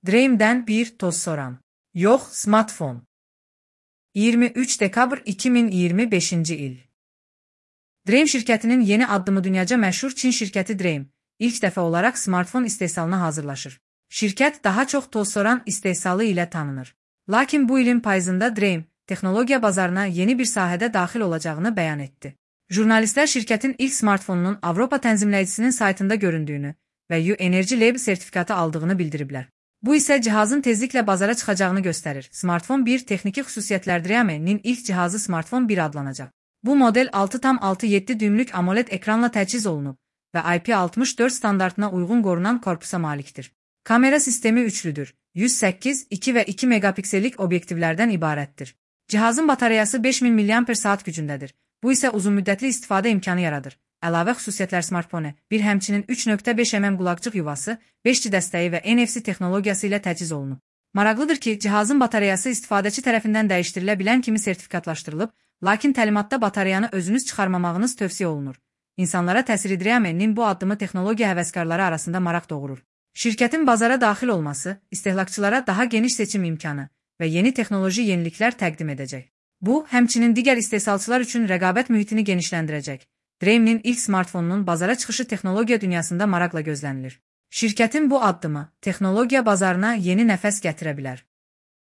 Dream'den bir toz soran. Yox, smartfon. 23 dekabr 2025-ci il. Dream şirkətinin yeni addımı dünyaca məşhur Çin şirkəti Dream, ilk dəfə olaraq smartfon istehsalına hazırlaşır. Şirkət daha çox toz soran istehsalı ilə tanınır. Lakin bu ilin payızında Dream, texnologiya bazarına yeni bir sahədə daxil olacağını bəyan etdi. Jurnalistlər şirkətin ilk smartfonunun Avropa tənzimləyicisinin saytında göründüyünü və U-Energy Label sertifikatı aldığını bildiriblər. Bu isə cihazın tezliklə bazara çıxacağını göstərir. Smartfon 1 texniki xüsusiyyətlər Dream'nin ilk cihazı Smartfon 1 adlanacaq. Bu model 6,7 düymlük AMOLED ekranla təchiz olunub və IP64 standartına uyğun qorunan korpusa malikdir. Kamera sistemi üçlüdür. 108, 2 və 2 megapiksellik obyektivlərdən ibarətdir. Cihazın batareyası 5000 mAh gücündədir. Bu isə uzunmüddətli istifadə imkanı yaradır. Əlavə xüsusiyyətlər smartfonu, bir həmçinin 3.5 mm qulaqcıq yuvası, 5G dəstəyi və NFC texnologiyası ilə təchiz olunub. Maraqlıdır ki, cihazın batareyası istifadəçi tərəfindən dəyişdirilə bilən kimi sertifikatlaşdırılıb, lakin təlimatda batareyanı özünüz çıxarmamağınız tövsiyə olunur. İnsanlara təsir Dream'nin bu addımı texnologiya həvəskarları arasında maraq doğurur. Şirkətin bazara daxil olması, istehlakçılara daha geniş seçim imkanı və yeni texnoloji yeniliklər təqdim edəcək. Bu, həmçinin digər istehsalçılar üçün rəqabət mühitini genişləndirəcək. Dream'nin ilk smartfonunun bazara çıxışı texnologiya dünyasında maraqla gözlənilir. Şirkətin bu addımı texnologiya bazarına yeni nəfəs gətirə bilər.